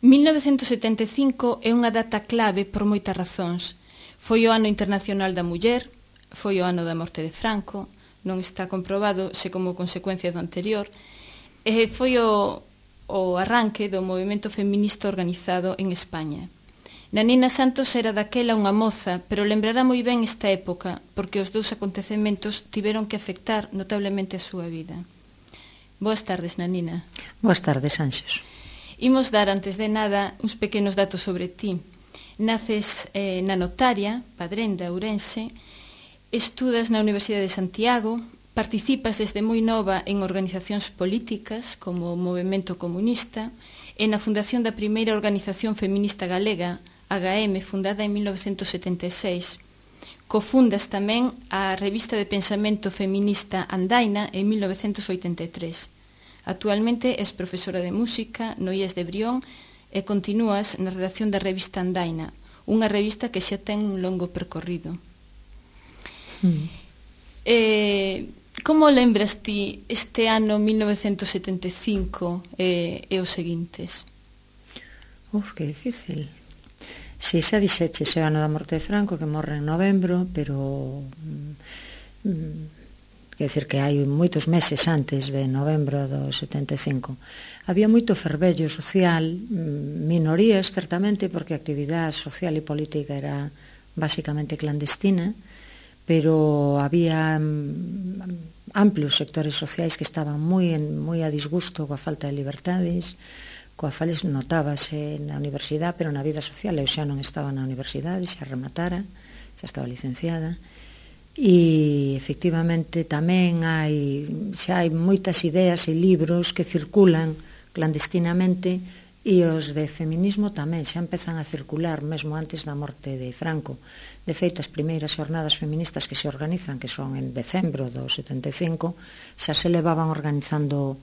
1975 é unha data clave por moitas razóns. Foi o ano internacional da muller, foi o ano da morte de Franco, non está comprobado se como consecuencia do anterior, e foi o arranque do movimento feminista organizado en España. Nanina Santos era daquela unha moza, pero lembrará moi ben esta época, porque os dous acontecementos tiveron que afectar notablemente a súa vida. Boas tardes, Nanina. Boas tardes, Ánxos. Imos dar, antes de nada, uns pequenos datos sobre ti. Naces na Notaria, Padrén de Ourense, estudas na Universidade de Santiago, participas desde moi nova en organizacións políticas como o Movemento Comunista e na fundación da primeira organización feminista galega, HM, fundada en 1976. Cofundas tamén a revista de pensamento feminista Andaina en 1983. Actualmente és profesora de música no IES de Brión e continúas na redacción da revista Andaina, unha revista que xa ten un longo percorrido. Como lembras ti este ano 1975 e os seguintes? Que difícil. Si, xa dixeche o ano da morte de Franco, que morre en novembro, pero quer dizer que hai moitos meses antes de novembro do 75. Había moito fervello social, minorías, certamente, porque a actividade social e política era basicamente clandestina, pero había amplios sectores sociais que estaban moi a disgusto coa falta de liberdades, coa falta notábase na universidade, pero na vida social. Eu xa non estaba na universidade, xa rematara, xa estaba licenciada, e efectivamente tamén xa hai moitas ideas e libros que circulan clandestinamente, e os de feminismo tamén xa empezan a circular mesmo antes da morte de Franco. De feito, as primeiras xornadas feministas que se organizan, que son en decembro do 75, xa se levaban organizando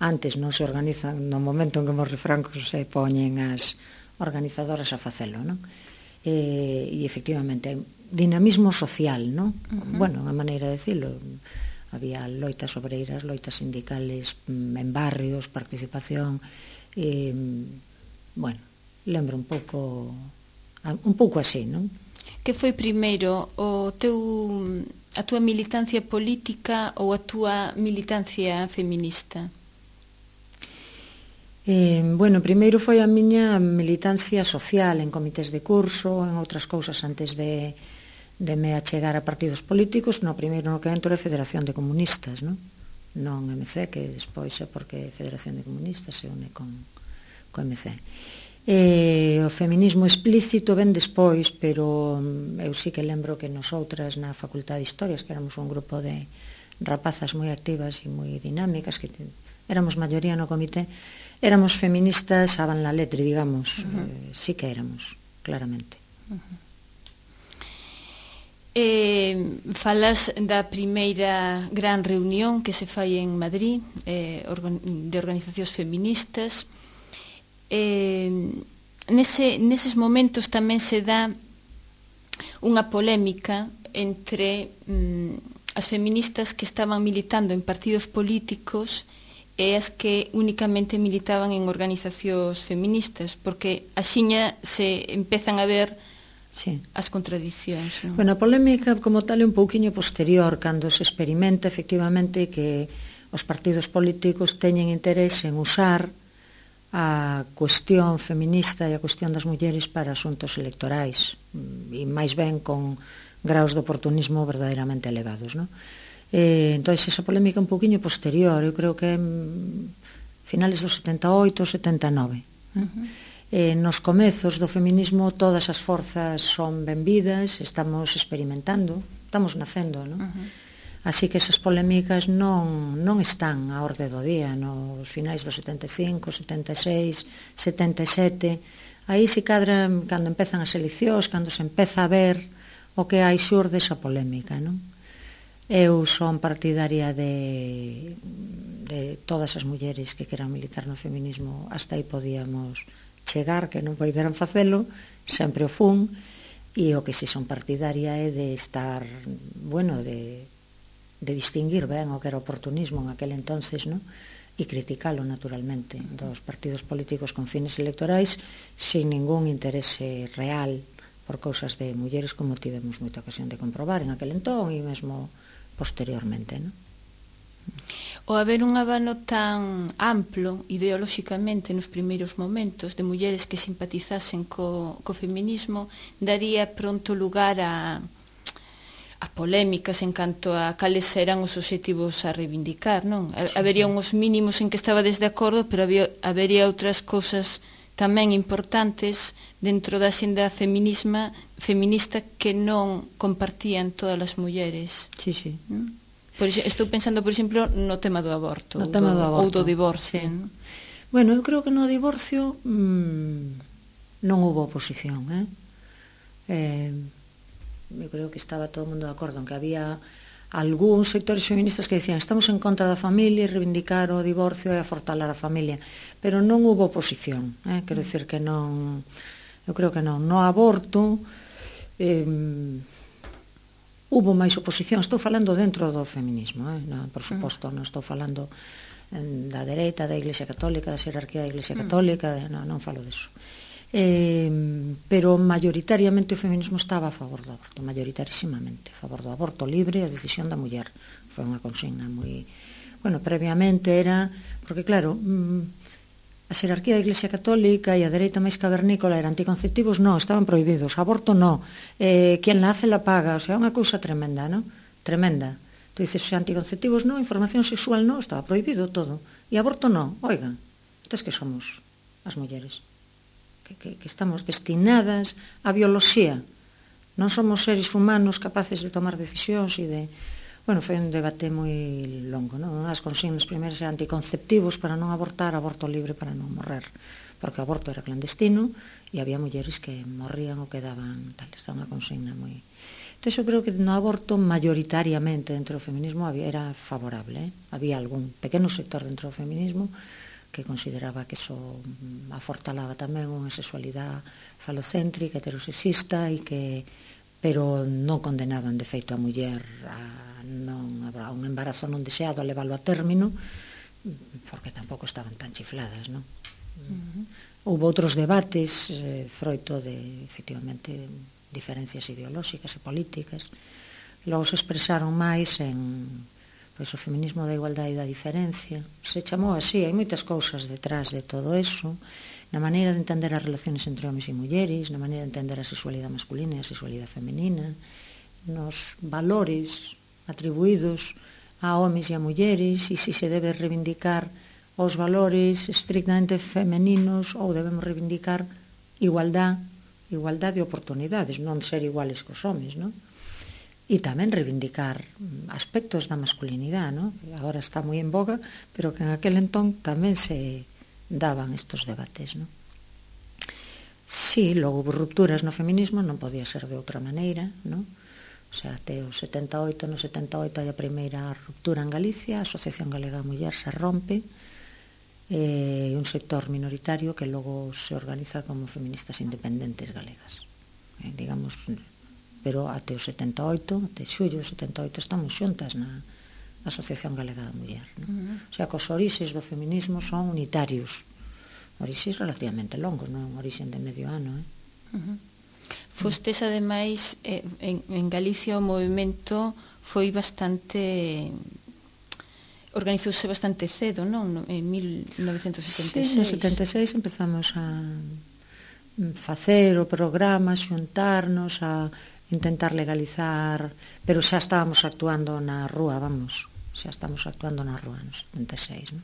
antes, non se organizan no momento en que morre Franco, se poñen as organizadoras a facelo, non? E efectivamente, dinamismo social, non? Bueno, unha maneira de dicilo. Había loitas obreiras, loitas sindicales en barrios, participación. Bueno, lembro un pouco así, non? Que foi primeiro a túa militancia política ou a túa militancia feminista? Bueno, primeiro foi a miña militancia social en comités de curso, en outras cousas antes de me achegar a partidos políticos. No primeiro no que entro é Federación de Comunistas, non MC, que despois é porque Federación de Comunistas se une con MC. O feminismo explícito ven despois, pero eu sí que lembro que nosoutras na Facultade de Historias, que éramos un grupo de rapazas moi activas e moi dinámicas, que éramos maioría no comité, éramos feministas aban la letre, digamos. Sí que éramos, claramente. Falas da primeira gran reunión que se fai en Madrid de organizacións feministas. Neses momentos tamén se dá unha polémica entre as feministas que estaban militando en partidos políticos e as que únicamente militaban en organizacións feministas, porque axiña se empezan a ver as contradicións, non? Bueno, a polémica como tal é un pouquiño posterior, cando se experimenta efectivamente que os partidos políticos teñen interese en usar a cuestión feminista e a cuestión das mulleres para asuntos electorais, e máis ben con graus de oportunismo verdadeiramente elevados, non? Entón, esa polémica un pouquiño posterior, eu creo que finales do 78, 79. Nos comezos do feminismo todas as forzas son benvidas, estamos experimentando, estamos nacendo, non? Así que esas polémicas non están á orde do día nos finais do 75, 76, 77. Aí se cadra cando empezan as eleccións, cando se empeza a ver o que hai xurde esa polémica, non? Eu son partidaria de todas as mulleres que queran militar no feminismo, hasta aí podíamos chegar, que non poideran facelo, sempre o fun, e o que si son partidaria é de estar, bueno, de distinguir ben o que era oportunismo en aquel entonces, non? e criticalo naturalmente dos partidos políticos con fines electorais sin ningún interese real por cousas de mulleres, como tivemos moita ocasión de comprobar en aquel entón e mesmo posteriormente, non? O haber un abano tan amplo ideolóxicamente nos primeiros momentos de mulleres que simpatizasen co feminismo daría pronto lugar a polémicas en canto a cales eran os obxectivos a reivindicar, non? Habería uns mínimos en que estaba desde acordo, pero habería outras cousas tamén importantes dentro da xenda feminista que non compartían todas as mulleres. Sí, sí. Estou pensando, por exemplo, no tema do aborto, ou do divorcio. Sí. Bueno, eu creo que no divorcio non houve oposición, eu creo que estaba todo o mundo de acordo en que había algúns sectores feministas que dicían estamos en contra da familia e reivindicar o divorcio e afortalar a familia, pero non houve oposición, quero dicir que non, eu creo que non. No aborto houve máis oposición, estou falando dentro do feminismo, por suposto, non estou falando da dereita, da Iglesia Católica, da xerarquía da Iglesia Católica, non falo deso. Pero maioritariamente o feminismo estaba a favor do aborto, maioritarisimamente a favor do aborto libre, a decisión da muller. Foi unha consigna moi... Bueno, previamente era... Porque claro, a xerarquía da Iglesia Católica e a dereita máis cavernícola eran anticonceptivos, non, estaban prohibidos, aborto non, quen nace la paga, o sea, unha cousa tremenda, non? Tremenda. Tú dices, anticonceptivos non, información sexual non, estaba prohibido todo. E aborto non, oigan, entonces que somos as mulleres? Que estamos destinadas á bioloxía, non somos seres humanos capaces de tomar decisións e de... Bueno, foi un debate moi longo, non? As consignas primeiras eran anticonceptivos para non abortar, aborto libre para non morrer, porque o aborto era clandestino e había mulleres que morrían ou quedaban tal, esta unha consigna moi... Entón, eu creo que no aborto maioritariamente dentro do feminismo era favorable, había algún pequeno sector dentro do feminismo que consideraba que eso afortalaba tamén unha sexualidade falocéntrica, heterosexista, pero non condenaban de feito a muller a un embarazo non deseado, a leválo a término, porque tampouco estaban tan chifladas, non? Houve outros debates froito de, efectivamente, diferencias ideolóxicas e políticas, logo se expresaron máis en... Pois o feminismo da igualdade e da diferencia, se chamou así, hai moitas cousas detrás de todo eso, na maneira de entender as relaciones entre homens e mulleres, na maneira de entender a sexualidade masculina e a sexualidade femenina, nos valores atribuídos a homens e a mulleres, e se debe reivindicar os valores estrictamente femeninos ou debemos reivindicar igualdade de oportunidades, non ser iguales cos homens, non? E tamén reivindicar aspectos da masculinidade, non? Agora está moi en boga, pero que en aquel entón tamén se daban estos debates, non? Sí, logo houve rupturas no feminismo, non podía ser de outra maneira, non? O sea, até o 78, no 78 hai a primeira ruptura en Galicia, a Asociación Galega da Muller se rompe, e un sector minoritario que logo se organiza como feministas independentes galegas, digamos... pero até o 78, até xullo do 78 estamos xuntas na Asociación Galega da Muller, non? O sea, que os orixes do feminismo son unitarios, orixes relativamente longos, non orixen de medio ano, Fostes, ademais, en Galicia o movimento foi bastante... organizouse bastante cedo, non? En 1976. Sí, no 76 empezamos a facer o programa, xuntarnos, a intentar legalizar, pero xa estábamos actuando na rúa, vamos, xa estamos actuando na rúa no 76, non?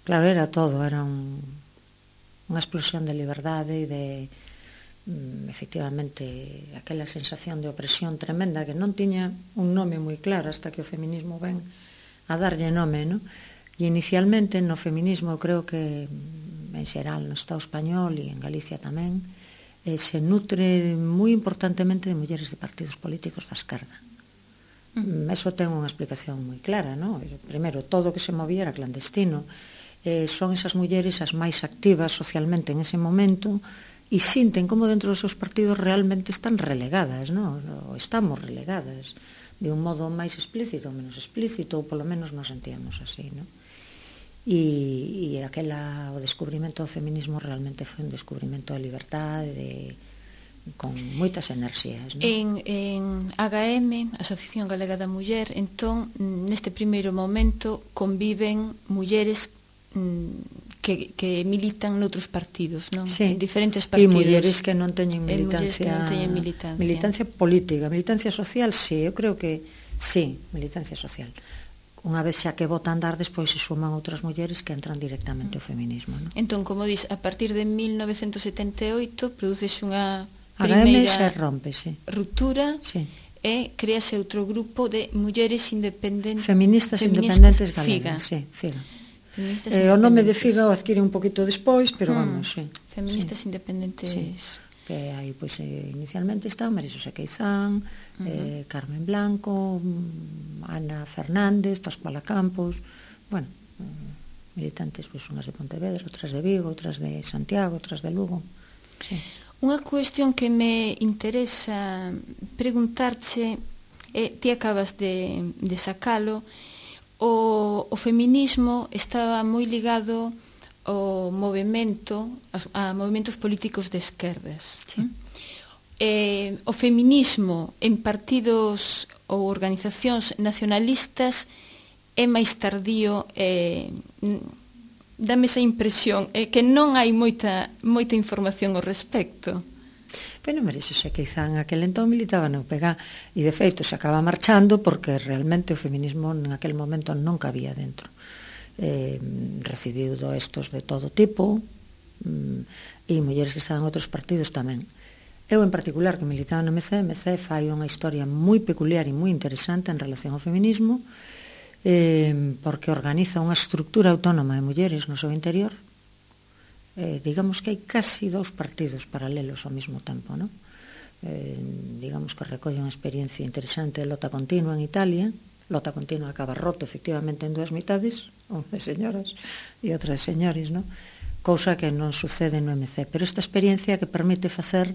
Claro, era todo, era unha explosión de liberdade e de, efectivamente, aquela sensación de opresión tremenda que non tiña un nome moi claro hasta que o feminismo ven a darlle nome, non? E inicialmente no feminismo, eu creo que en xeral no Estado español e en Galicia tamén, se nutre moi importantemente de mulleres de partidos políticos da esquerda. Eso ten unha explicación moi clara, non? Primeiro, todo o que se movía era clandestino. Son esas mulleres as máis activas socialmente en ese momento e sinten como dentro dos seus partidos realmente están relegadas, non? Ou estamos relegadas de un modo máis explícito ou menos explícito, ou polo menos nos sentíamos así, non? e o descubrimento do feminismo realmente foi un descubrimento de liberdade, con moitas enerxías, non? En AGM, Asociación Galega da Muller, entón, neste primeiro momento conviven mulleres que militan noutros partidos, non? Sí. En diferentes partidos. E mulleres que non teñen militancia, militancia política, militancia social, sí, eu creo que sí, militancia social. Unha vez xa que vota andar, despois se suman outras mulleres que entran directamente ao feminismo, non? Entón, como dis, a partir de 1978 produces unha primeira rompe, sí, ruptura, sí, e créase outro grupo de mulleres independentes, feministas independentes galegas, FIGA. Sí, FIGA. O nome de FIGA o adquire un poquito despois, pero vamos, sí. Feministas independentes. Sí. Que aí, pois, inicialmente está María-Xosé Queizán, Carmen Blanco, Ana Fernández, Pascuala Campos, bueno, militantes, pois, unhas de Pontevedra, outras de Vigo, outras de Santiago, outras de Lugo. Sí. Unha cuestión que me interesa preguntarche, ti acabas de sacalo, o feminismo estaba moi ligado ao movimento, a movimentos políticos de esquerdas. Sí. O feminismo en partidos ou organizacións nacionalistas é máis tardío, dame esa impresión, que non hai moita información ao respecto. Pero María-Xosé Queizán aquel entón militaba no UPG e de feito se acaba marchando porque realmente o feminismo en aquel momento non cabía dentro. Recibiu doestos de todo tipo e mulleres que estaban en outros partidos tamén. Eu en particular que militaba no MC fai unha historia moi peculiar e moi interesante en relación ao feminismo, porque organiza unha estructura autónoma de mulleres no seu interior. Digamos que hai casi 2 partidos paralelos ao mesmo tempo, non? Digamos que recolle unha experiencia interesante de loita continua en Italia. Loita continua acaba roto efectivamente en 2 mitades, 11 señoras e outras señores, non? Cousa que non sucede no MC, pero esta experiencia que permite facer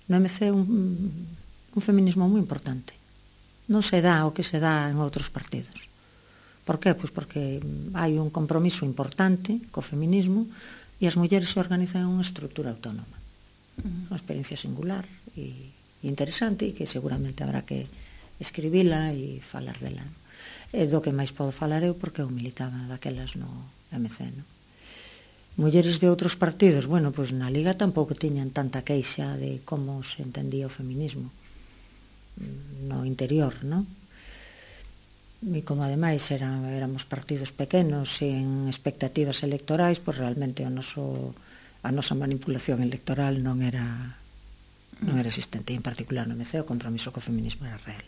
no MC un feminismo moi importante. Non se dá o que se dá en outros partidos. Por que? Pois porque hai un compromiso importante co feminismo e as mulleres se organizan en unha estrutura autónoma. Unha experiencia singular e interesante e que seguramente habrá que escribila e falar dela. Do que máis podo falar eu porque eu militaba daquelas no MC, non? Mulleres de outros partidos, bueno, pois na Liga tampouco tiñan tanta queixa de como se entendía o feminismo no interior, non? E como ademais éramos partidos pequenos en expectativas electorais, pois realmente a nosa manipulación electoral non era existente, en particular no MC o compromiso co feminismo era real.